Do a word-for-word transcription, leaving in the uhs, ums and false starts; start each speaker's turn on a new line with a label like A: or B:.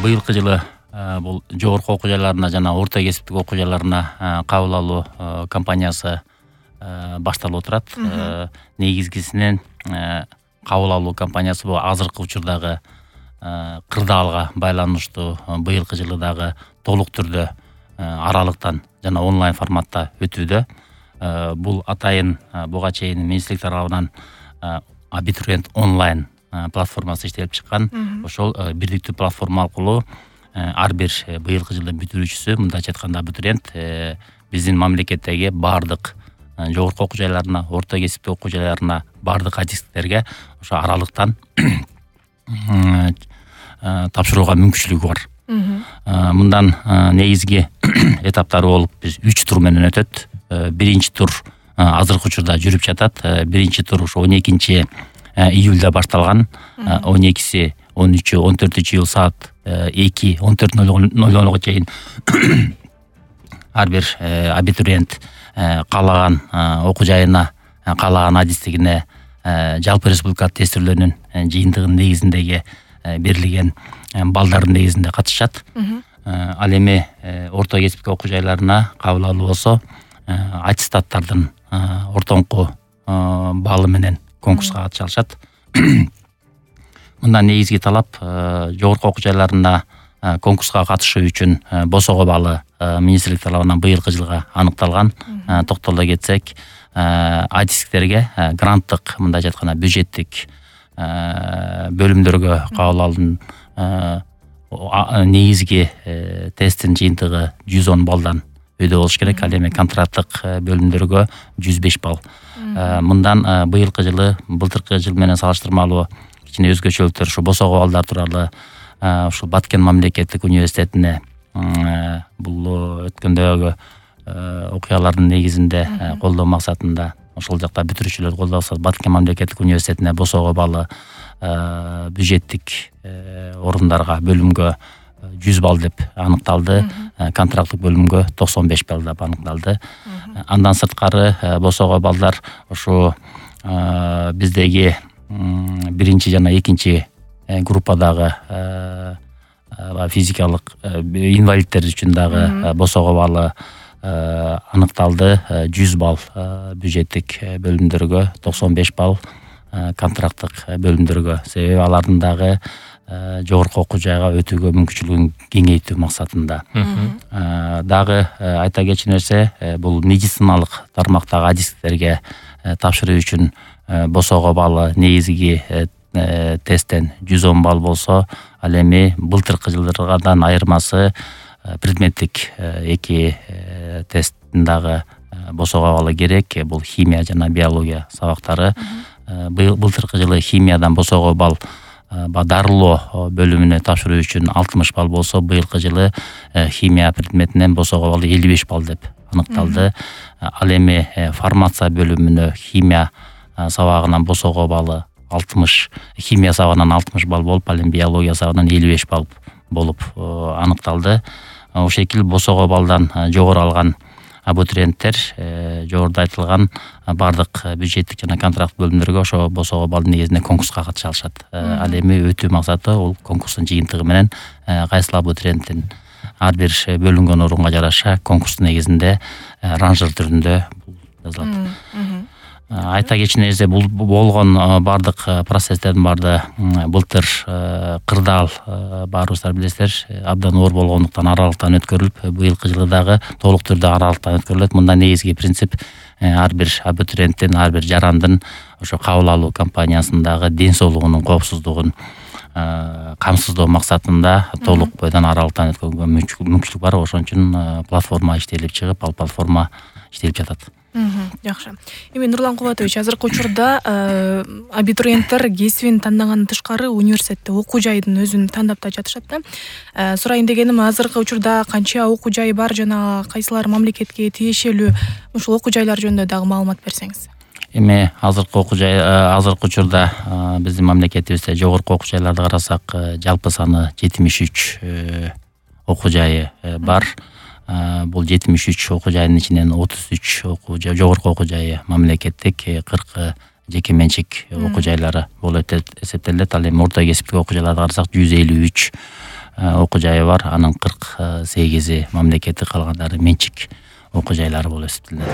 A: быйылкы жылы бул жогорку окуу жайларына жана орто кесиптик окуу жайларына кабыл алуу кампаниясы башталып отурат. Негизгисинен кабыл алуу кампаниясы бул азыркы учурдагы кырдаалга байланыштуу быйылкы жылы дагы толук түрдө аралыктан жана онлайн форматта өтүүдө. Бул атайын буга чейин министрлик тарабынан абитуриент онлайн платформасы иштелип чыккан. Ошол бирдиктүү платформа аркылуу ар бир быйылкы жылдын бүтүрүүчүсү, мындайча айтканда абитуриент биздин мамлекеттеги баардык жогорку окуу жайларына, орто кесиптик окуу жайларына, баардык адистиктерге ошо аралыктан тапшырууга мүмкүнчүлүгү бар. Мындан негизги этаптары болуп биз үч тур менен өтөт. Биринчи тур азыркы учурда жүрүп жатат. Биринчи тур ошо он экинчи июлда башталган. он экиси, он үчү, он төртүнчү июль саат эки он төрт ноль нолго чейин ар бир абитуриент каалаган окуу жайына, каалаган адистигине жалпы республикалык тестирлөөнүн жыйынтыгынын негизиндеги берилген балдардын негизинде катышат. Ал эми орто кесиптик окуу жайларына кабыл алуу болсо аттестаттардын ортоңку баалы менен конкурска катыша алышат. Мындан негизги талап жогорку окуу жайларында конкурска катышуу үчүн босого баалы министрлик тарабынан быйылкы жылга аныкталган. Токтоло кетсек, адистиктерге гранттык, мындайча айтканда бюджеттик бөлүмдөргө кабыл алуунун негизги тесттин жыйынтыгы жүз он балдан өйдө болуш керек. Ал эми контракттык бөлүмдөргө жүз беш балл. Мындан быйылкы жылы былтыркы жыл менен салыштырмалуу кичине өзгөчөлүктөр ушу босого балдар тууралуу ушу Баткен мамлекеттик университетине бул өткөндөгү окуялардын негизинде колдоо максатында ошол жакта бүтүрүүчүлөрдү колдоо максатында Баткен мамлекеттик университетине босого баалы бюджеттик орундарга бөлүмгө жүз балл деп аныкталды. Контракттык бөлүмгө токсон беш балл деп аныкталды. Андан сырткары босого балдар ошо биздеги биринчи жана экинчи группадагы физикалык инвалидтер үчүн дагы босого баалы аныкталды. жүз балл бюджеттик бөлүмдөргө, токсон беш балл контракттык бөлүмдөргө. Себеби алардын дагы жогорку окуу жайга өтүүгө мүмкүнчүлүгүн кеңейтүү максатында. Дагы айта кетчү нерсе, бул медициналык тармактагы адистиктерге тапшыруу үчүн босого баалы негизги тесттен жүз он балл болсо, ал эми былтыркы жылдардан айырмасы предметтик эки тесттин дагы босого баалы керек. Бул химия жана биология сабактары. Былтыркы жылы химиядан босого балл дарылоо бөлүмүнө тапшыруу үчүн алтымыш балл болсо, быйылкы жылы химия предметинен босого балл элүү беш балл деп аныкталды. Ал эми фармация бөлүмүнө химия сабагынан босого баллы алтымыш, химия сабагынан алтымыш балл болуп, ал эми биология сабагынан элүү беш балл болуп аныкталды. Ошол шекил босого баллдан жогору алган абитуриенттер жогоруда айтылган бардык бюджеттик жана контракт бөлүмдөргө ошо босого балдын негизинде конкурска катыша алышат. Ал эми өтүү максаты ол конкурстун жыйынтыгы менен кайсыл абитуриенттин ар бир бөлүнгөн орунга жараша конкурстун негизинде ранжыр түрүндө жазылат. Айта кетчү нерсе, бул болгон бардык процесстердин баарды былтыр кырдаал баарыбыздар билесиздер, абдан оор болгондуктан аралыктан өткөрүлүп, быйылкы жылы дагы толук түрдө аралыктан өткөрүлөт. Мында негизги принцип ар бир абитуриенттин, ар бир жарандын ошо кабыл алуу кампаниясындагы ден соолугунун коопсуздугун камсыздоо максатында толук бойдон аралыктан өткөргөнгө мүмкүнчүлүк бар. Ошон үчүн платформа иштелип чыгып, ал платформа иштелип жатат.
B: Жакшы. Эми Нурлан Кубатович, азыркы учурда абитуриенттер кесибин тандагандан тышкары университетте окуу жайдын өзүн тандап да жатышат да. Сурайын дегеним, азыркы учурда канча окуу жай бар жана кайсылар мамлекетке тиешелүү, ушул окуу жайлар жөнүндө дагы маалымат берсеңиз.
A: Эми азыркы окуу жай, азыркы учурда биздин мамлекетибизде жогорку окуу жайларды карасак, жалпы саны жетимиш үч окуу жайы бар. Бул жетимиш үч окуу жайдын ичинен отуз үч окуу жай, жогорку окуу жайы мамлекеттик, кыркы жеке менчик окуу жайлары болуп эсептелет. Ал эми орто кесиптик окуу жайларды карасак жүз элүү үч окуу жайы бар. Анын кырк сегизи мамлекеттик, калгандары менчик окуу жайлары болуп эсептелет.